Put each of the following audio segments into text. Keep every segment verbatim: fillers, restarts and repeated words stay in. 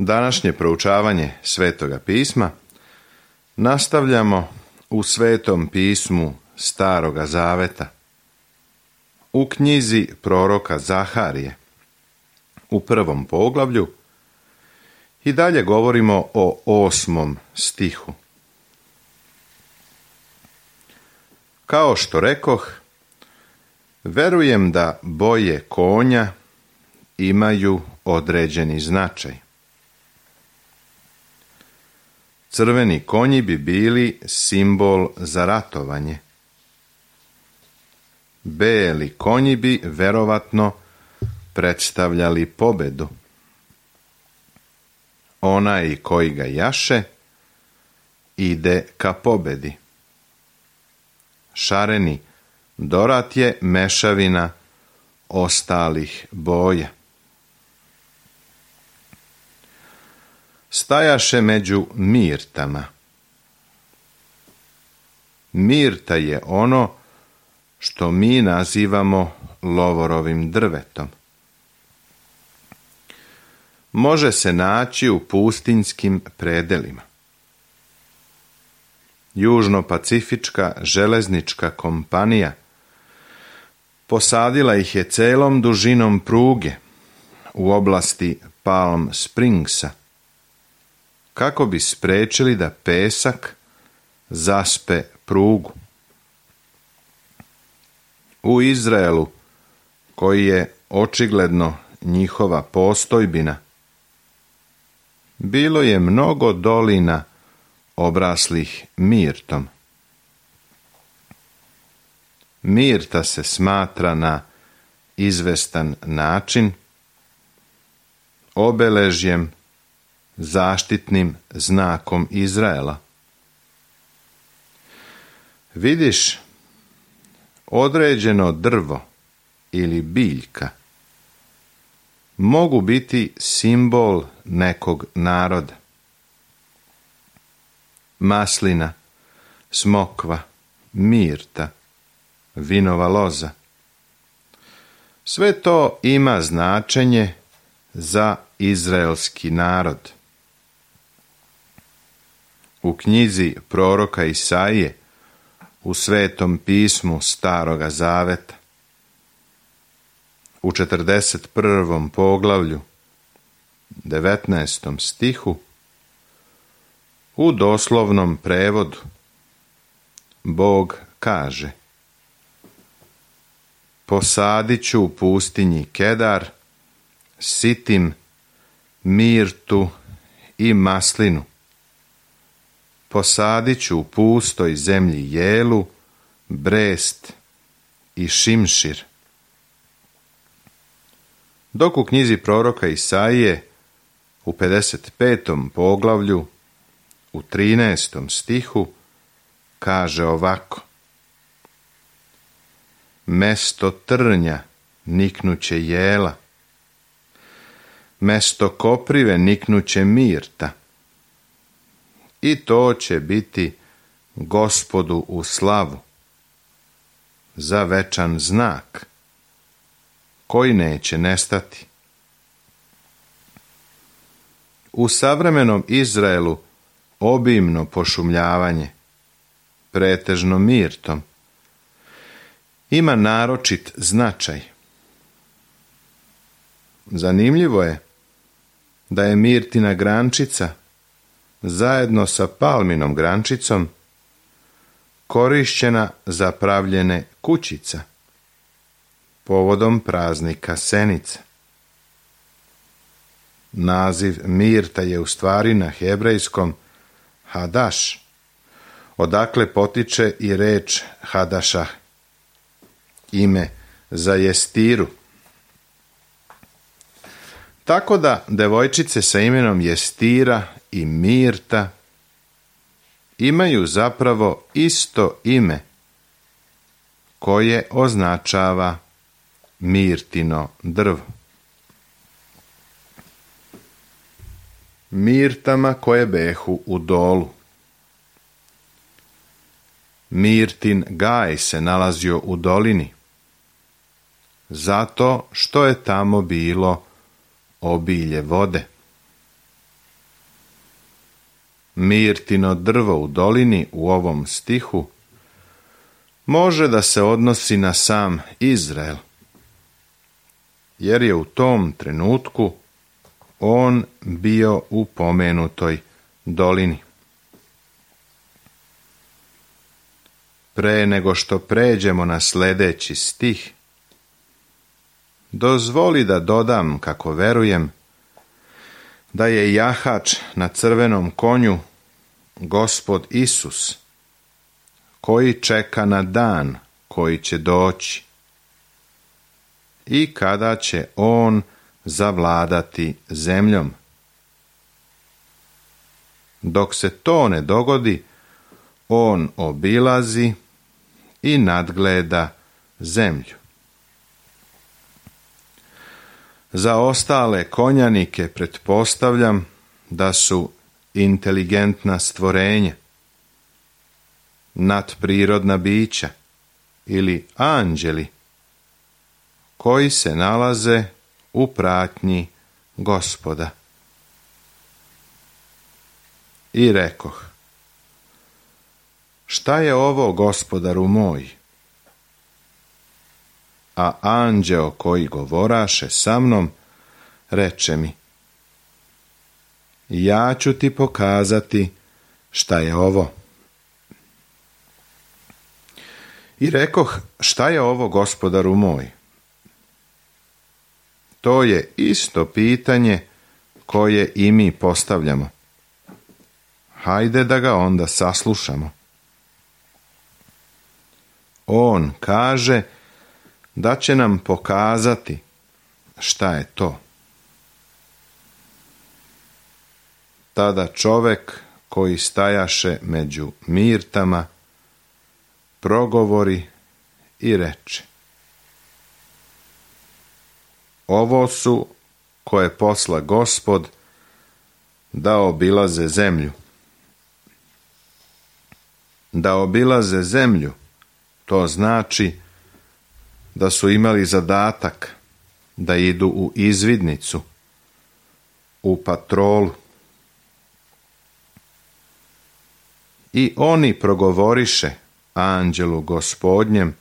Današnje proučavanje Svetoga pisma nastavljamo u Svetom pismu Staroga Zaveta, u knjizi proroka Zaharije, u prvom poglavlju, i dalje govorimo o osmom stihu. Kao što rekoh, verujem da boje konja imaju određeni značaj. Crveni konji bi bili simbol za ratovanje. Beli konji bi verovatno predstavljali pobedu. Onaj koji ga jaše ide ka pobedi. Šareni dorat je mešavina ostalih boja. Stajaše među mirtama. Mirta je ono što mi nazivamo lovorovim drvetom. Može se naći u pustinjskim predelima. Južno-pacifička železnička kompanija posadila ih je celom dužinom pruge u oblasti Palm Springsa, kako bi sprečili da pesak zaspe prugu. U Izraelu, koji je očigledno njihova postojbina, bilo je mnogo dolina obraslih mirtom. Mirta se smatra na izvestan način obeležjem, zaštitnim znakom Izraela. Vidiš, određeno drvo ili biljka mogu biti simbol nekog naroda. Maslina, smokva, mirta, vinova loza. Sve to ima značenje za izraelski narod. U knjizi proroka Isaije, u Svetom pismu Staroga Zaveta, u četrdeset prvom poglavlju, devetnaestom stihu, u doslovnom prevodu, Bog kaže: posadit ću u pustinji kedar, sitim, mirtu i maslinu. Posadit ću u pustoj zemlji jelu, brest i šimšir. Dok u knjizi proroka Isaije, u pedeset petom poglavlju, u trinaestom stihu, kaže ovako: mesto trnja niknuće jela, mesto koprive niknuće mirta, i to će biti Gospodu u slavu, za večan znak, koji neće nestati. U savremenom Izraelu obimno pošumljavanje, pretežno mirtom, ima naročit značaj. Zanimljivo je da je mirtina grančica zajedno sa palminom grančicom korišćena za pravljenje kućica povodom praznika Senice. Naziv mirta je u stvari na hebrejskom hadaš, odakle potiče i reč hadašah, ime za jestiru. Tako da devojčice sa imenom Jestira i Mirta imaju zapravo isto ime koje označava mirtino drvo. Mirtama koje behu u dolu. Mirtin gaj se nalazio u dolini, zato što je tamo bilo obilje vode. mirtino drvo u dolini u ovom stihu može da se odnosi na sam Izrael, jer je u tom trenutku on bio u pomenutoj dolini. Pre nego što pređemo na sljedeći stih, dozvoli da dodam kako verujem da je jahač na crvenom konju Gospod Isus, koji čeka na dan koji će doći i kada će on zavladati zemljom. Dok se to ne dogodi, on obilazi i nadgleda zemlju. Za ostale konjanike pretpostavljam da su inteligentna stvorenja, nadprirodna bića ili anđeli koji se nalaze u pratnji Gospoda. I rekoh: šta je ovo, Gospodaru moj? A anđeo koji govoraše sa mnom reče mi: ja ću ti pokazati šta je ovo. I rekoh: šta je ovo, Gospodaru moj? To je isto pitanje koje i mi postavljamo. Hajde da ga onda saslušamo. On kaže da će nam pokazati šta je to. Tada čovek koji stajaše među mirtama progovori i reče: ovo su koje posla Gospod da obilaze zemlju. Da obilaze zemlju, to znači da su imali zadatak da idu u izvidnicu, u patrolu. I oni progovoriše anđelu Gospodnjem,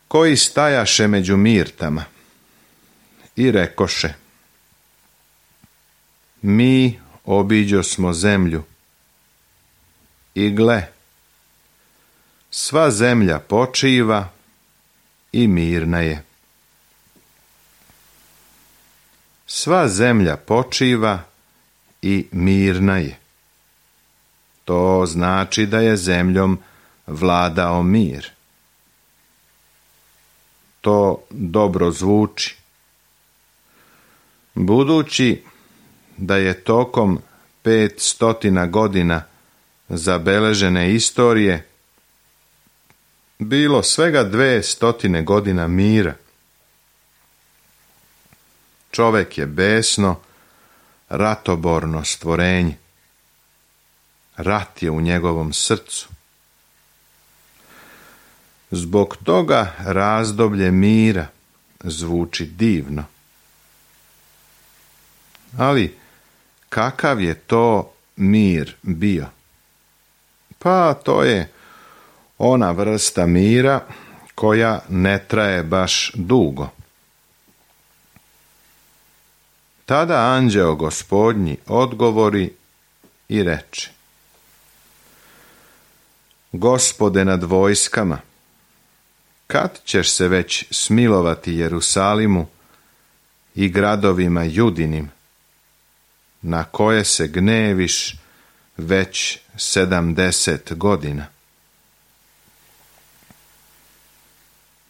koji stajaše među mirtama, i rekoše: mi obiđosmo zemlju, i gle, sva zemlja počiva i mirna je. Sva zemlja počiva i mirna je. To znači da je zemljom vladao mir. To dobro zvuči. Budući da je tokom pet stotina godina zabeležene istorije bilo svega dve stotine godina mira, čovek je besno, ratoborno stvorenje. Rat je u njegovom srcu. Zbog toga razdoblje mira zvuči divno. Ali kakav je to mir bio? Pa to je ona vrsta mira koja ne traje baš dugo. Tada anđeo Gospodnji odgovori i reče: Gospode nad vojskama, kad ćeš se već smilovati Jerusalimu i gradovima Judinim, na koje se gneviš već sedamdeset godina?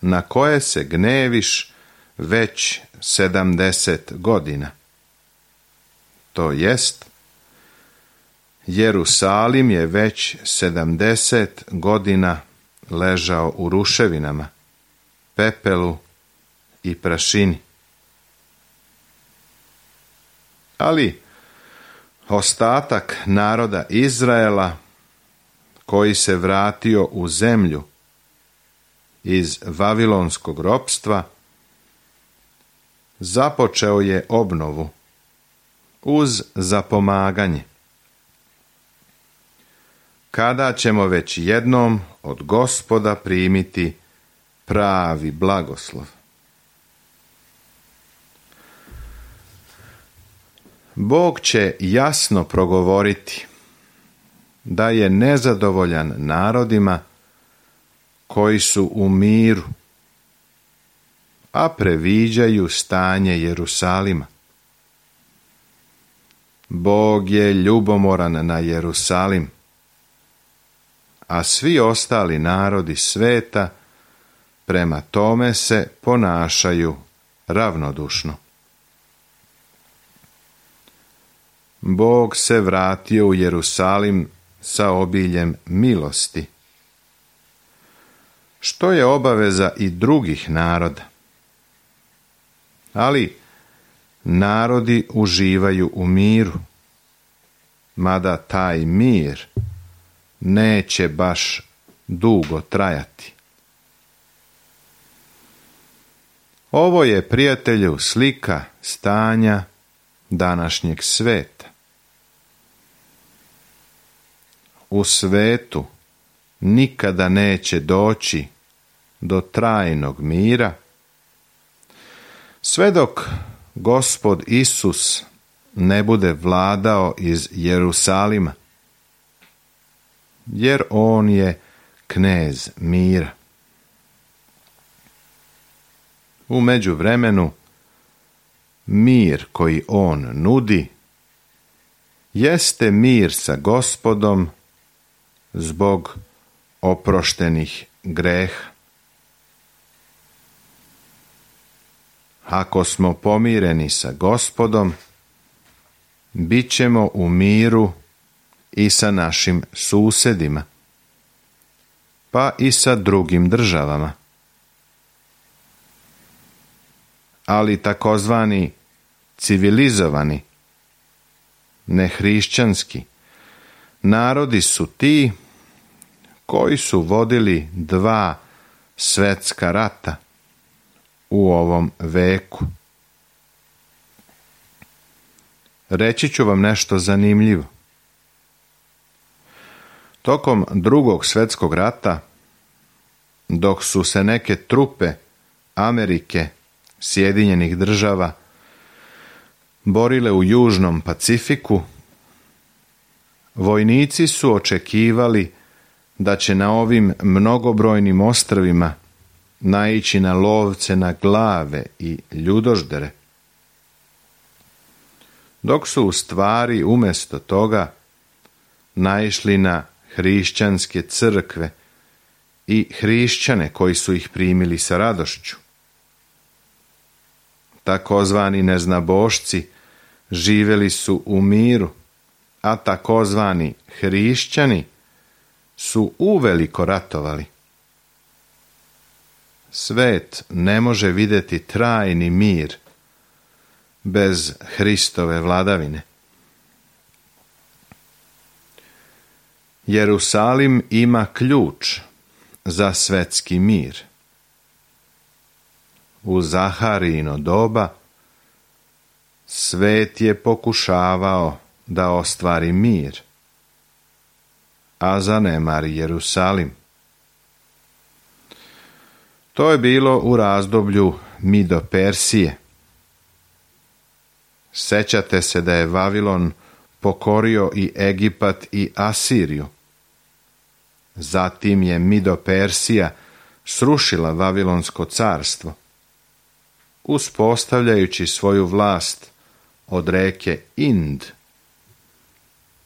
Na koje se gneviš već sedamdeset godina. To jest, Jerusalim je već sedamdeset godina ležao u ruševinama, pepelu i prašini. Ali ostatak naroda Izraela, koji se vratio u zemlju iz vavilonskog ropstva, započeo je obnovu uz zapomaganje kada ćemo već jednom od Gospoda primiti pravi blagoslov. Bog će jasno progovoriti da je nezadovoljan narodima koji su u miru, a previđaju stanje Jerusalima. Bog je ljubomoran na Jerusalim, a svi ostali narodi sveta prema tome se ponašaju ravnodušno. Bog se vratio u Jerusalim sa obiljem milosti, što je obaveza i drugih naroda. Ali narodi uživaju u miru, mada taj mir neće baš dugo trajati. Ovo je, prijatelju, slika stanja današnjeg sveta. U svetu nikada neće doći do trajnog mira, sve dok Gospod Isus ne bude vladao iz Jerusalima, jer on je knez mira. U međuvremenu, mir koji on nudi jeste mir sa Gospodom zbog oproštenih greha. Ako smo pomireni sa Gospodom, bit ćemo u miru i sa našim susjedima, pa i sa drugim državama. Ali takozvani civilizovani, nehrišćanski narodi su ti koji su vodili dva svjetska rata u ovom veku. Reći ću vam nešto zanimljivo. Tokom drugog svjetskog rata, dok su se neke trupe Amerike, Sjedinjenih država, borile u Južnom Pacifiku, vojnici su očekivali da će na ovim mnogobrojnim ostrvima naići na lovce na glave i ljudoždere, dok su u stvari umjesto toga naišli na hrišćanske crkve i hrišćane koji su ih primili sa radošću. Takozvani neznabošci živjeli su u miru, a takozvani hrišćani su uveliko ratovali. Svet ne može vidjeti trajni mir bez Hristove vladavine. Jerusalim ima ključ za svetski mir. U Zaharijino doba svet je pokušavao da ostvari mir, a zanemari Jerusalim. To je bilo u razdoblju Mido-Persije. Sećate se da je Vavilon pokorio i Egipat i Asiriju. Zatim je Mido-Persija srušila Vavilonsko carstvo, uspostavljajući svoju vlast od reke Ind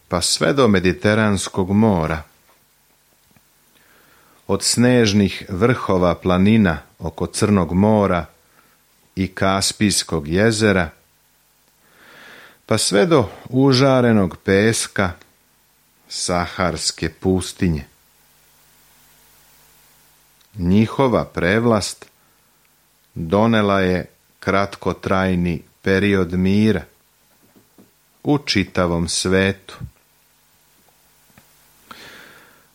pa sve do Mediteranskog mora, od snežnih vrhova planina oko Crnog mora i Kaspijskog jezera, pa sve do užarenog peska Saharske pustinje. Njihova prevlast donela je kratkotrajni period mira u čitavom svetu.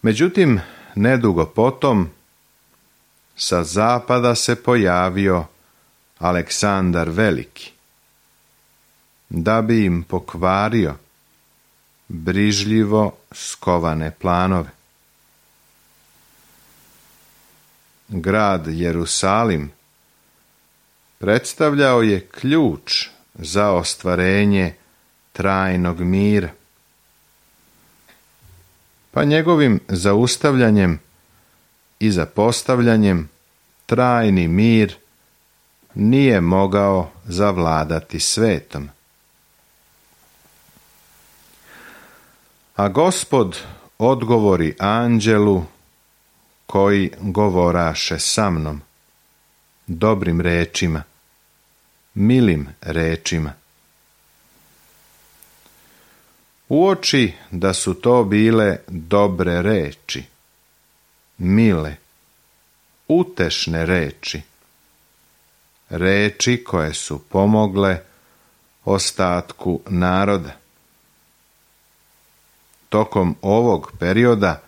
Međutim, nedugo potom sa zapada se pojavio Aleksandar Veliki, da bi im pokvario brižljivo skovane planove. Grad Jerusalim predstavljao je ključ za ostvarenje trajnog mira. Pa njegovim zaustavljanjem i zapostavljanjem trajni mir nije mogao zavladati svetom. A Gospod odgovori anđelu koji govoraše sa mnom, dobrim rečima, milim rečima. Uoči da su to bile dobre reči, mile, utešne reči, reči koje su pomogle ostatku naroda. Tokom ovog perioda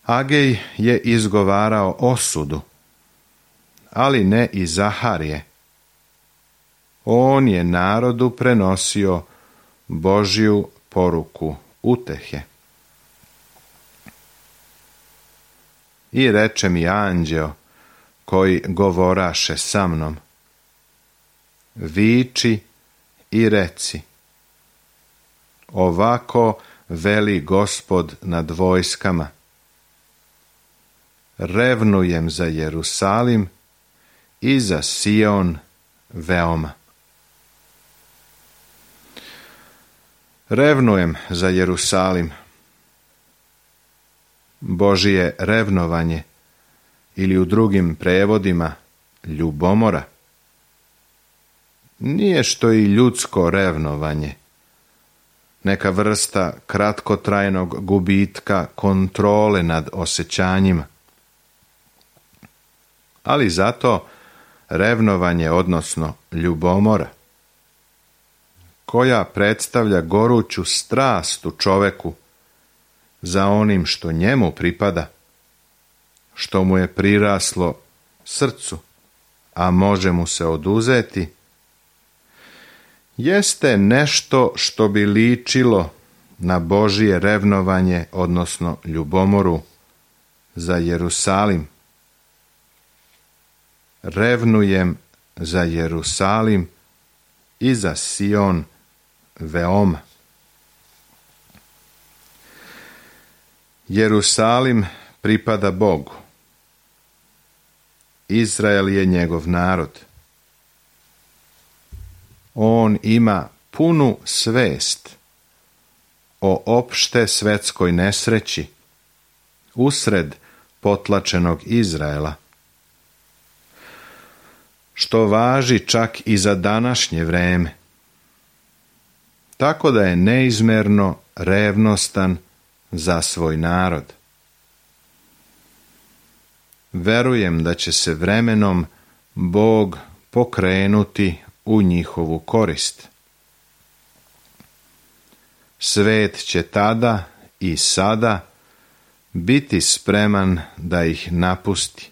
Agej je izgovarao osudu, ali ne i Zaharije. On je narodu prenosio Božju poruku utehe. I reče mi anđeo koji govoraše sa mnom, viči i reci, ovako veli Gospod nad vojskama, revnujem za Jerusalim i za Sion veoma. Revnujem za Jerusalim. Božije revnovanje, ili u drugim prevodima ljubomora, nije što i ljudsko revnovanje, neka vrsta kratkotrajnog gubitka kontrole nad osjećanjima. Ali zato revnovanje, odnosno ljubomora, koja predstavlja goruću strast u čoveku za onim što njemu pripada, što mu je priraslo srcu, a može mu se oduzeti, jeste nešto što bi ličilo na Božije revnovanje, odnosno ljubomoru za Jerusalim. Revnujem za Jerusalim i za Sion veoma. Jerusalim pripada Bogu. Izrael je njegov narod. On ima punu svest o opšte svetskoj nesreći usred potlačenog Izraela, što važi čak i za današnje vreme, tako da je neizmerno revnostan za svoj narod. Verujem da će se vremenom Bog pokrenuti u njihovu korist. Svet će tada i sada biti spreman da ih napusti.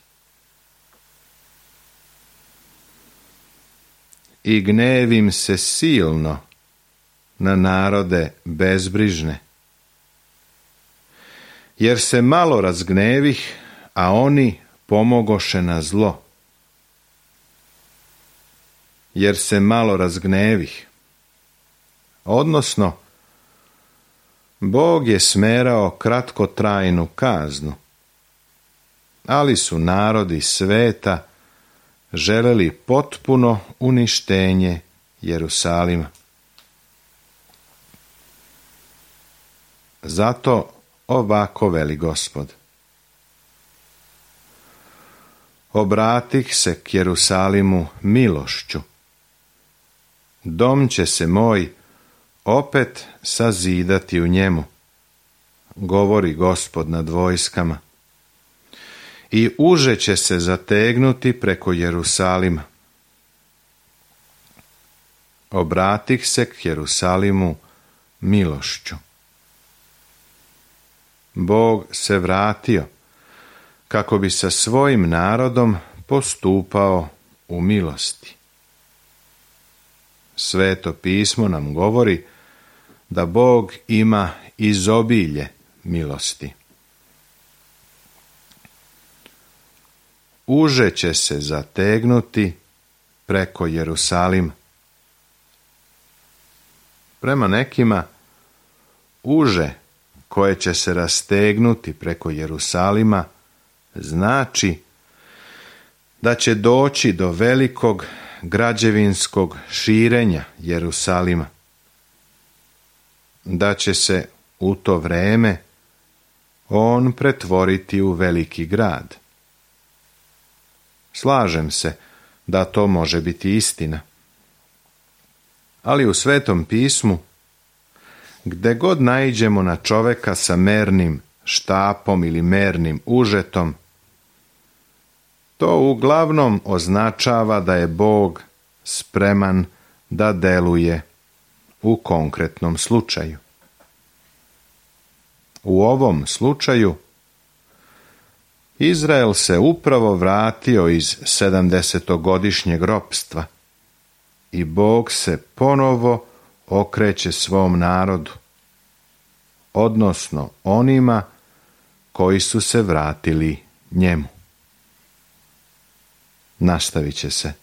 I gnevim se silno na narode bezbrižne, jer se malo razgnevih, a oni pomogoše na zlo. Jer se malo razgnevih, odnosno Bog je smerao kratkotrajnu kaznu, ali su narodi sveta želeli potpuno uništenje Jerusalima. Zato ovako veli Gospod. Obratih se k Jerusalimu milošću. Dom će se moj opet sazidati u njemu, govori Gospod nad vojskama. I uže će se zategnuti preko Jerusalima. Obratih se k Jerusalimu milošću. Bog se vratio kako bi sa svojim narodom postupao u milosti. Sveto pismo nam govori da Bog ima izobilje milosti. Uže će se zategnuti preko Jerusalima. Prema nekima, uže koje će se rastegnuti preko Jerusalima znači da će doći do velikog građevinskog širenja Jerusalima, da će se u to vreme on pretvoriti u veliki grad. Slažem se da to može biti istina. Ali u Svetom pismu, gde god naiđemo na čoveka sa mernim štapom ili mernim užetom, to uglavnom označava da je Bog spreman da deluje u konkretnom slučaju. U ovom slučaju Izrael se upravo vratio iz sedamdesetogodišnjeg ropstva i Bog se ponovo okreće svom narodu, odnosno onima koji su se vratili njemu. Nastavit će se.